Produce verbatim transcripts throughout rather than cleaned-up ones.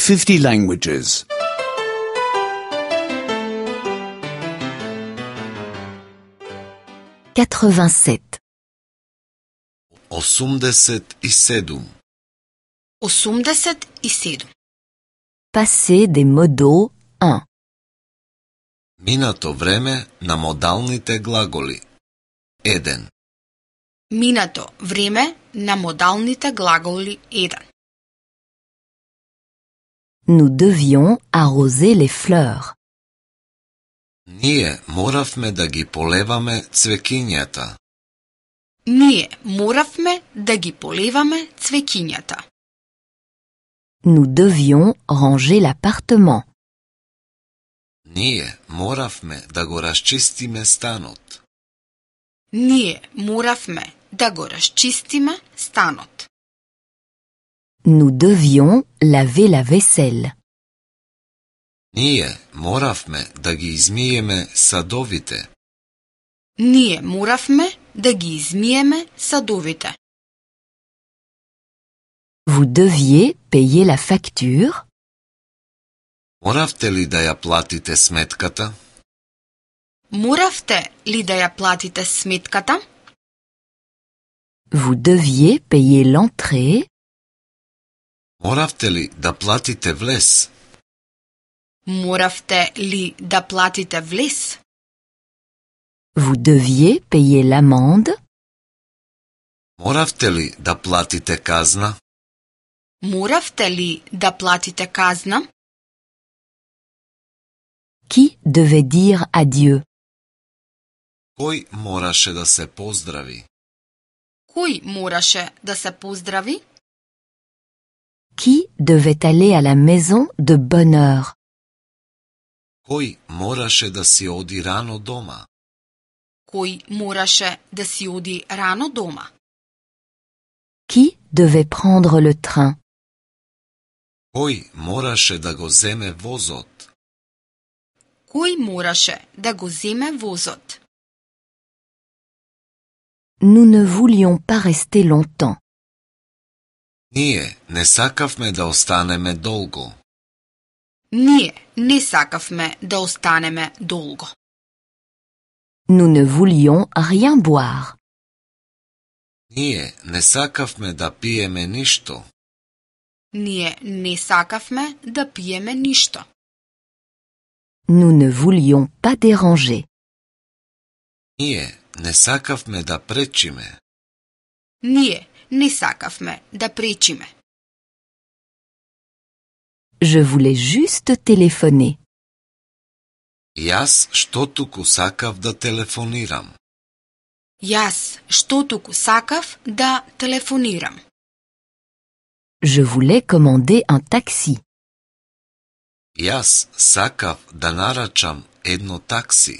fifty languages. quatre-vingt-sept. осумдесет и седум. осумдесет и седум. Passé des modaux un. Минато време на модалните глаголи. еден. Минато време на модалните глаголи еден. Nous devions arroser les fleurs. Ние моравме да ги полеваме цвекињата. Ние моравме да ги полеваме цвекињата. Nous devions ranger l'appartement. Ние моравме да го расчистиме станот. Ние моравме да го расчистиме станот. Nous devions laver la vaisselle. Ние моравме да ги измиеме садовите. Ние моравме да ги измиеме садовите. Vous deviez payer la facture. Моравте ли да ја платите сметката? Моравте ли да ја платите сметката? Vous deviez payer l'entrée. Моравте ли да платите влез? Моравте ли да платите влез? Vous deviez payer l'amende. Моравте ли да платите казна? Моравте ли да платите казна? Qui devait dire adieu? Кој мораше да се поздрави? Кој мораше да се поздрави? Qui devait aller à la maison de bonne heure? Кој мораше да си оди рано дома? Кој мораше да си оди рано дома? Qui devait prendre le train? Кој мораше да го земе возот? Кој мораше да го земе возот? Nous ne voulions pas rester longtemps. Ние не сакавме да останеме долго. Ние не сакавме да останеме долго. Nous ne voulions rien boire. Ние не сакавме да пиеме ништо. Ние не сакавме да пиеме ништо. Nous ne voulions pas déranger. Ние не сакавме да пречиме. Ние не сакавме да пречиме. Je voulais juste téléphoner. Јас што туку сакав да телефонирам. Јас што туку сакав да телефонирам. Je voulais commander un taxi. Јас сакав да нарачам едно такси.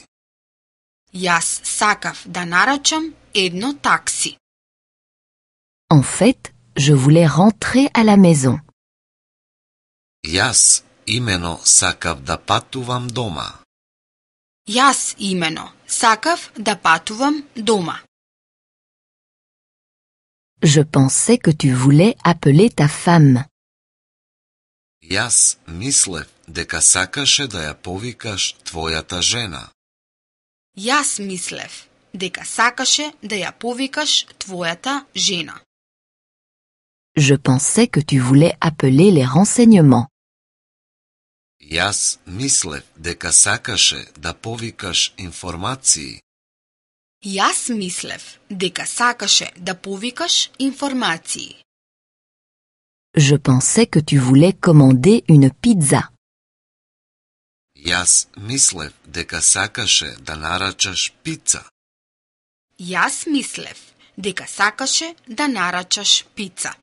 Јас сакав да нарачам едно такси. En fait, je voulais rentrer à la maison. Јас имено сакав да патувам дома. Јас имено сакав да патувам дома. Je pensais que tu voulais appeler ta femme. Јас мислев дека сакаше да ја повикаш твојата жена. Јас мислев дека сакаше да ја повикаш твојата жена. Je pensais que tu voulais appeler les renseignements. Јас мислев дека сакаше да повикаш информации. Јас мислев дека сакаше да повикаш информации. Je pensais que tu voulais commander une pizza. Јас мислев дека сакаше да нарачаш пица. Јас мислев дека сакаше да нарачаш пица.